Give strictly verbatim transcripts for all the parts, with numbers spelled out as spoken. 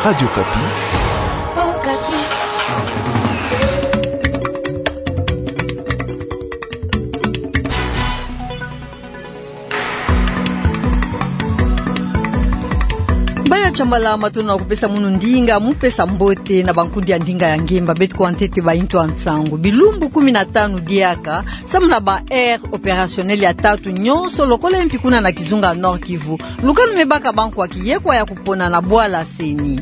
Radio Okapi. Baya Shambala, matondo na kupesa munu ndinga, mu pesa mbote na bankundi ya ndinga ya ngemba. Beto kwa ntete baintu ya nsangu. Bilumbu kumi na tanu diaka, samu na ba aire opérationnelle ya tatu nyonso, lokola mpi kuna na kizunga Nord-Kivu, lukanu me baka bankwa kiyekwa ya kupona na bwala CENI.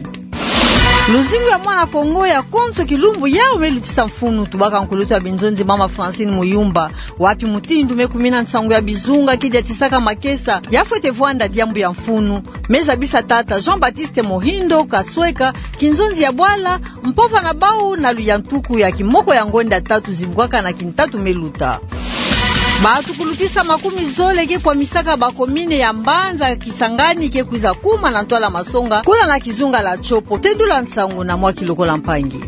Luzingu ya mwana Kongo ya konso kilumbu yau me lutisa mfunu, tubaka nkulutu ya binzonzi mama Francine Muyumba. Wapi mutindu me kumina nsangu ya bizunga ke diatisaka makesa? Ya fwete vwanda diambu ya mfunu, me zabisa tata Jean-Baptiste Mohindo Kasweka, kinzonzi ya bwala, mpova na bau na luyantuku ya kimoko ya ngonda tatu zibukaka na kintatu me luta. Bato kulutisa makumi zole ke kwamisaka ba commune ya mbanza Kisangani ke kwiza kuma na ntwala masonga, kuna na kizunga la Tshopo. Tendula nsangu na mwa kilokola mpangi.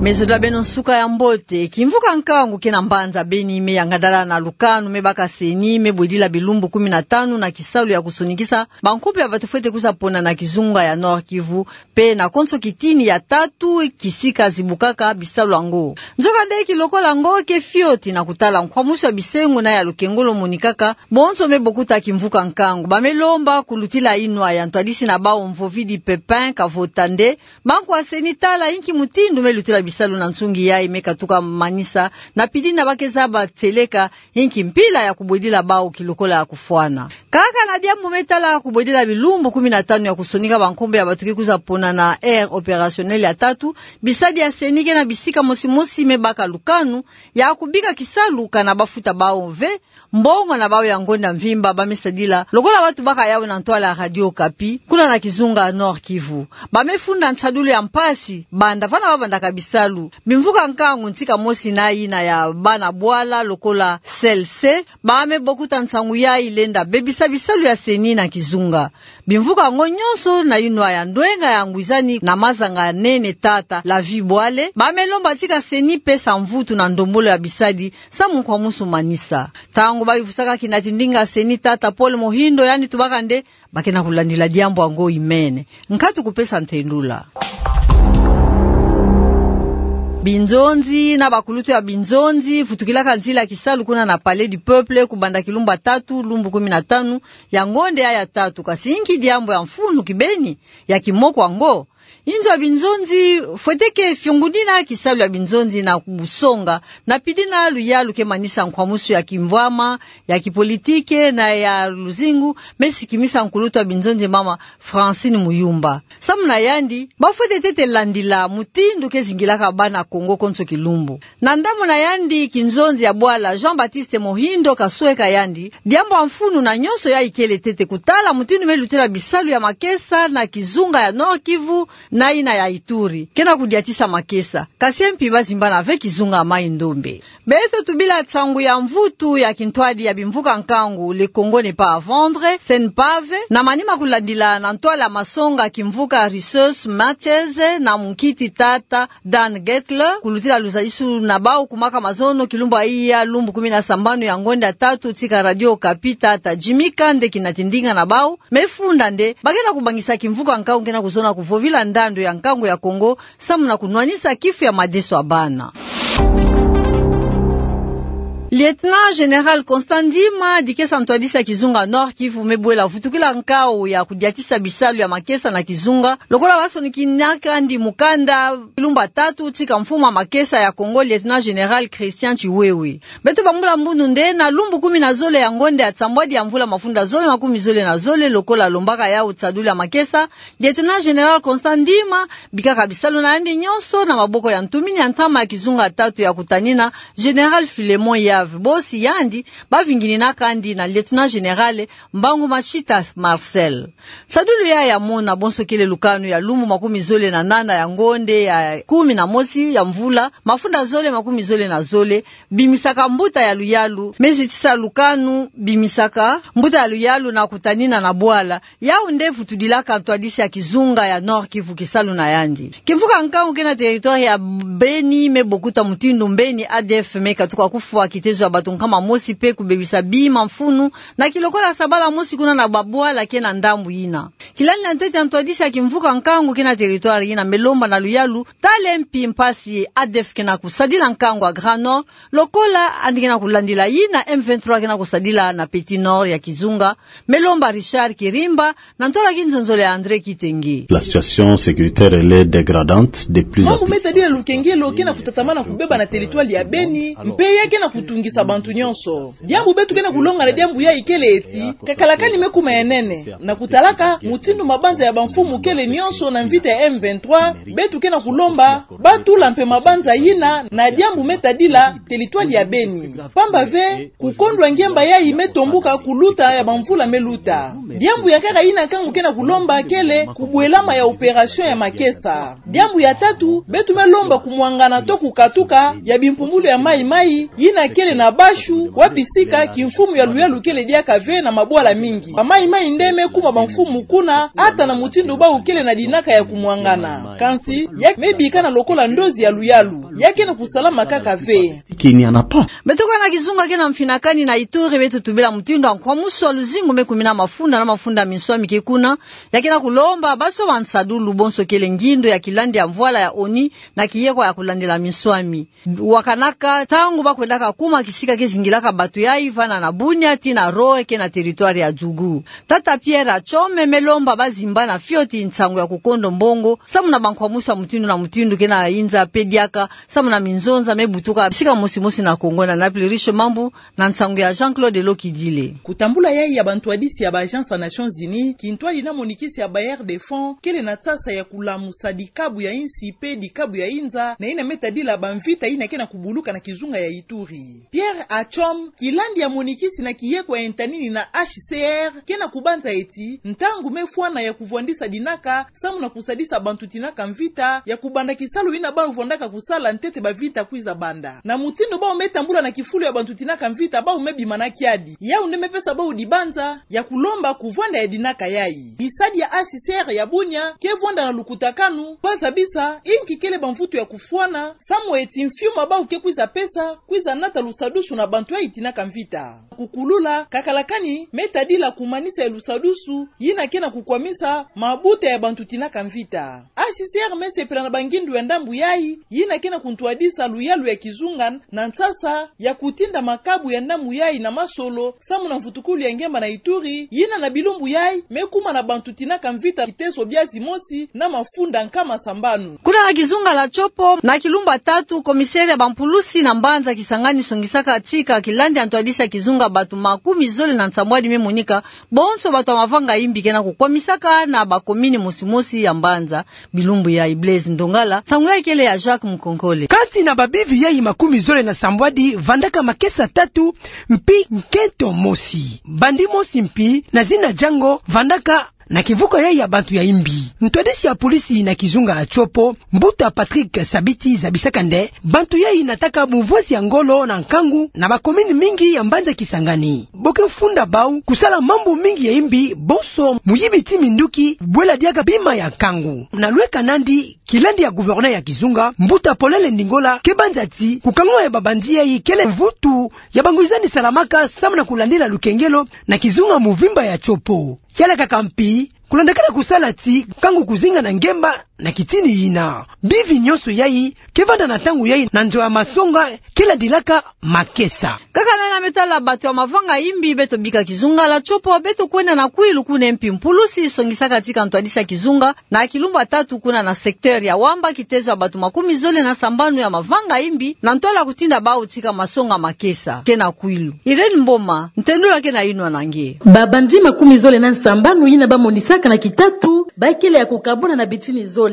Me zola beno nsuka ya mbote. Kimvuka nkangu ke na mbanza Beni me yangadala na lukanu me baka CENI me bwedila bilumbu kumi na tanu na kisalu ya kusonikisa bankopo ya bato fwete kwiza pona na kizunga ya Nord-Kivu, mpe na konso kitini ya tatu kisika zibukaka bisalu yango. Nzokande kilokola yango ke fioti na kutala nkwamusu ya bisengo na ya lukengolo monikaka bonso me bokuta kimvuka nkangu. Ba me lomba kulutila inwa ya ntwadisi na bau Mvovidi Pepin Kavota nde bankwa CENI tala inki mutindu me lutila bisalu na nsungi yayi me katuka manisa, na pidina ba ke zaba tieleka inki mpila ya kubwedila bau kilokola ya kufwana. Kaka na diambu me tala kubwedila bilumbu kumi na tanu ya kusonika bankombo ya bato ke kwiza pona na aire opérationnelle ya tatu, bisadi ya CENI ke na bisika mosi mosi me baka lukanu ya kubika kisalu kana ba futa bau ve mbongo na bau ya ngonda mvimba ba me sadila, lokola ba tubaka yau na ntwala ya Radio Okapi, kuna na kizunga Nord-Kivu. Ba me funda nsadulu ya mpasi banda vana ba bandaka bisalu. Bimvuka nkangu ntika mosi na yina ya bana bwala lokola CLC, ba me bokuta nsangu yayi lenda bebisa bisalu ya CENI na kizunga. Bimvuka yango nyonso na inwa ya ndwenga ya ngwizani na mazanga nene tata Lavi Bwale, ba me lomba tika CENI pesa mvutu na ndombolo ya bisadi samu nkwamusu manisa. Ntangu ba yuvusaka kinati ndinga CENI tata Paul Mohindo, yandi tubaka nde ba ke na kulandila diambu yango imene. Nkatu kupesa ntendula. Binzonzi na bakulutu ya binzonzi vutukilaka nzila kisalu kuna na Palais du Peuple kubanda kilumbu ya tatu, lumbu kumi na tanu ya ngonda ya tatu. Kasi inki diambu ya mfunu kibeni ya kimoko yango? Inzo ya binzonzi fwete ke fiongunina kisalu ya binzonzi na kubusonga, na pidina luyalu ke manisa nkwamusu ya kimvwama, ya kipolitike na ya luzingu, me sikimisa nkulutu ya binzonzi mama Francine Muyumba. Samu na yandi, ba fwete tete landila mutindu ke zingilaka bana Kongo konso kilumbu. Na ndambu na yandi, kinzonzi ya bwala Jean-Baptiste Mohindo Kasweka yandi, diambu ya mfunu na nyonso yayi kele tete kutala mutindu me lutila bisalu ya makesa na kizunga ya Nord-Kivu na yina ya Ituri. Ke na kudiatisa makesa. Kasi mpi ba zimbana ve kizunga Mai-Ndombe. Beto tubila nsangu ya mvutu ya kintwadi ya bimvuka nkangu Le Congo n'est pas à vendre, CNPAV, na manima kulandila na ntwala masonga kimvuka Risus Mathies na munkiti tata Dan Getler, kulutila luzalisu na bau ku maka mazono kilumbu ya iya, lumbu kumi na sambanu ya ngonda ya tatu tika Radio Okapi, tata Jimmy Kande kinati ndinga na bau me funda nde ba ke na kubangisa kimvuka nkangu ke na kuzona kuvovila ndandu ya nkangu ya Kongo samu na kunwanisa kifu ya madeso ya bana. Lieutenant Général Constant Ndima, dikesa ntwadisi ya kizunga Nord-Kivu, me bwela vutukila nkau ya kudiatisa bisalu ya makesa na kizunga, lokola ba sonikinaka yandi mukanda lumbu ya tatu tika mfumu ya makesa ya Kongo, Lieutenant Général Christian Tshiwewe. Beto bambula mbundu nde na lumbu kumi na zole ya ngonda ya nsambwadi ya mvula mafunda zole makumi zole na zole, lokola alombaka yau nsadulu ya makesa, Lieutenant Général Constant Ndima bikaka bisalu na yandi nyonso na maboko ya ntumini ya ntama ya kizunga tatu ya kutanina, Général Philémon Yave. Bosi yandi ba vingininaka yandi na Lieutenant Général Mbangu Mashita Marcel. Nsadulu yayi ya mona bonso kele lukanu ya lumbu makumi zole na nana ya ngonda ya kumi na mosi ya mvula mafunda zole makumi zole na zole, bimisaka mbuta ya luyalu, me zitisa lukanu bimisaka mbuta ya luyalu na kutanina na bwala. Yau nde vutudilaka ntwadisi ya kizunga ya Nord-Kivu kisalu na yandi. Kimvuka nkangu ke na territoire ya Beni me bokuta mutindu Beni A D F me katuka kufwa kitezo ya bato nkama mosi mpe kubebisa bima mfunu na kilokola sabala mosi kuna na babwala ke na ndambu yina. Kilandi ya ntete ya ntwadisi ya kimvuka nkangu ke na territoire yina me lomba na luyalu tala mpi mpasi ADF ke na kusadila nkangu ya Grand Nord, lokola yandi ke na kulandila yina M vingt-trois ke na kusadila na Petit Nord ya kizunga, me lomba Richard Kirimba, na ntola kinzonzolo ya André Kitenge. La situation sécuritaire, elle est dégradante de plus en plus. Mambu me tadila lukengelo ke na kutatamana kubeba na territoire ya Beni, mpe ya ke na kutungisa bantu nyonso. Diambu beto ke na kulonga na diambu yayi kele eti, kakalakani me kuma ya nene. Na kutalaka mutindu mabanza ya bamfumu kele nyonso na mvita ya M vingt-trois, beto ke na kulomba ba tula mpe mabanza yina na diambu me tadila territoire ya Beni. Pamba ve, kukondwa ngemba yayi me tombuka kuluta ya bamvula me luta. Diambu ya nkaka yina nkangu ke na kulomba kele kubwelama ya opération ya makesa. Diambu ya tatu, beto me lomba kumwangana to kukatuka ya bimpumbulu ya mayi-mayi yina kele na Bashu, wapi sika kimfumu ya luyalu kele diaka ve na mabwala mingi. Ba mayi-mayi nde me kuma bamfumu kuna, ata na mutindu bawu kele na dinaka ya kumwangana. Kansi, ya me bikana lokola ndozi ya luyalu. Ya ke na kusalama kaka ve. Qu'il n'y en a pas. Beto ke na kizunga ke na mfinakani na Ituri, beto tubila mutindu ya nkwamusu ya luzingu me kumina mafunda na mafunda ya minswami ke kuna. Ya ke na kulomba basoba nsadulu bonso kele ngindo ya kilandi ya mvwala ya ONU na kiyekwa ya kulandila minswami. Wakanaka ntangu ba kwendaka kuma kisika ke zingilaka bato yayi vana na Bunia tii na Roe ke na territoire ya Djougou. Tata Pierre Atchome me lomba ba zimbana fioti nsangu ya kukondo mbongo, samu na bankwamusu ya mutindu na mutindu ke na yinza mpe diaka, samu na minzonza me butuka bisika mosi-mosi na Congo. Na Naples, Riche Mambu, na nsangu ya Jean-Claude Lokidile. Kutambula yayi ya bantwadisi ya ba agence ya Nations Unies, kintwadi na monikisi ya Bailleurs de Fonds kele na nsasa ya kulamusa dikabu ya insi mpe dikabu ya inza, na yina me tadila bamvita yina ke na kubuluka na kizunga ya Ituri. Pierre Atchome, kilandi ya monikisi na kiyekwa ya ntanini na H C R, ke na kubanza eti, ntangu me fwana ya kuvwandisa dinaka, samu na kusadisa bantu tinaka mvita, ya kubanda kisalu yina bawu vwandaka kusala ntete bamvita kwiza banda. Na mutindu bawu me tambula na kifulu ya bantu tinaka mvita, bawu me bima na kiadi. Yawu nde me pesa bawu dibanza ya kulomba kuvwanda ya dinaka yayi. Bisadi ya H C R ya Bunia ke vwanda na lukutakanu, ba zabisa inki kele bamvutu ya kufwana, samu eti mfiuma bawu ke kwiza pesa, kwiza nata lusadusu na bantu yayi tinaka mvita. Kukulula, kakalakani, me tadila kumanisa ya lusadusu, yina ke na kukwamisa mabuta ya bantu tinaka mvita. H C R me sepela na bangindu ya ndambu yayi, yina ke na kuntwadisa luyalu ya kizunga na nsasa ya kutinda makabu ya ndambu yayi na masolo, samu na mvutukulu ya ngemba na Ituri, yina na bilumbu yayi, me kuma na bantu tinaka mvita kiteso bia zimosi na mafunda nkama sambanu. Kuna na kizunga la Tshopo, na kilumbu ya tatu, commissaire ya bampulusi na mbanza Kisangani songisaka tika kilandi ya ntwadisi ya kizunga bato makumi zole na nsambwadi me monika, bonso bato ya mavanga imbi ke na kukwamisaka na bakomini mosi-mosi ya mbanza. Bilumbu yayi, Blaise Ndongala, nsangu yayi kele ya Jacques Mukonkole. Kati na babivi yayi makumi zole na sambwadi, vandaka makesa tatu, mpi nkento mosi. Bandi mosi mpi, na zina Django, vandaka na kimvuka yayi ya bantu ya imbi. Ntwadisi ya polisi na kizunga ya Tshopo, mbuta Patrick Sabiti, zabisaka nde bantu yayi nataka bumvwasi ya ngolo na nkangu na bakomini mingi ya mbanza Kisangani. Bo ke funda bawu kusala mambu mingi ya imbi, bonso muyibi tii minduki, bwela diaka bima ya nkangu. Na lweka nandi, kilandi ya gouverneur ya kizunga, mbuta Paulele Ndingola, ke banza ti kukangula ya babandi yayi kele mvutu ya banguizani salamaka samu na kulandila lukengelo na kizunga muvimba ya Tshopo. Kialakaka mpi, kulandakana kusala ti nkangu kuzinga na ngemba na kitini yina. Bivi nyonso yayi ke vanda na ntangu yayi na nzo ya masonga ke landilaka makesa. Kaka na yina me tala bato ya mavanga imbi, beto bika kizunga la Tshopo, beto kwenda na Kwilu kuna mpi mpulusi songisaka tika ntwadisi ya kizunga na kilumbu ya tatu kuna na secteur ya Wamba kitezo ya bato makumi zole na sambanu ya mavanga imbi, na ntola kutinda bawu tika masonga makesa. Ke na Kwilu, Irène Mboma, ntendula ke na yinwa na nge. Babandi makumi zole na sambanu yina bamonisaka na kitatu, bakele ya kukabwana na bitini zole.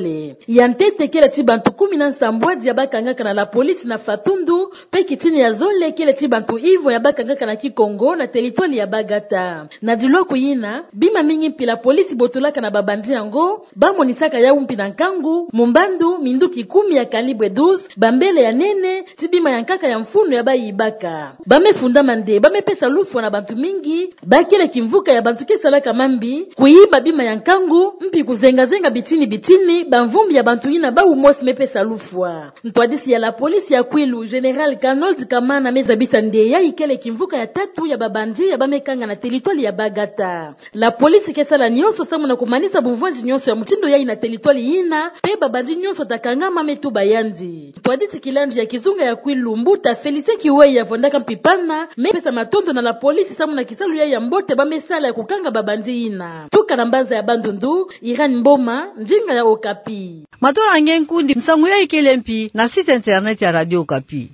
Ya ntete kele ti bantu kumi na sambwadi ya bakangaka na la police na Fatundu, mpe kitini ya zole kele ti bantu ivo ya bakangaka na Kikongo na territoire ya Bagata. Na dilwaku yina, bima mingi mpi la police botolaka na babandi yango, bamonisaka yawu mpi na nkangu, mu mbandu, minduki kumi ya calibre douze, bambele ya nene, ti bima ya nkaka ya mfunu ya bayibaka. Ba me fundama nde, ba me pesa lufwa na bantu mingi, bakele kimvuka ya bantu ke salaka mambi, kuyiba bima ya nkangu, mpi kuzenga-zenga bitini-bitini, Bamvumbi ya bantu yina bawu mosi mepesa lufwa. Ntwadisi ya la police ya Kwilu, Général Kanold Kamana, mezabisa nde yayi kele kimvuka ya tatu ya babandit ya bamekanga na territoire ya Bagata. La police ke sala nyonso samu na kumanisa bumvwandi nyonso ya mutindo yayi na territoire yina, pe babandit nyonso ta kangama me tuba yandi. Ntwadisi kilandi ya kizunga ya Kwilu, mbuta Félicien Kiweyi, avwandaka mpipana, mepesa matondo na la police samu na kisalu yayi ya mbote bamesala ya kukanga babandit yina. Tuka na mbanza ya Bandundu, Irène Mboma, ndinga ya Okapi. Matondo na nge nkundi, nsangu yayi kele mpi na site internet ya Radio Okapi.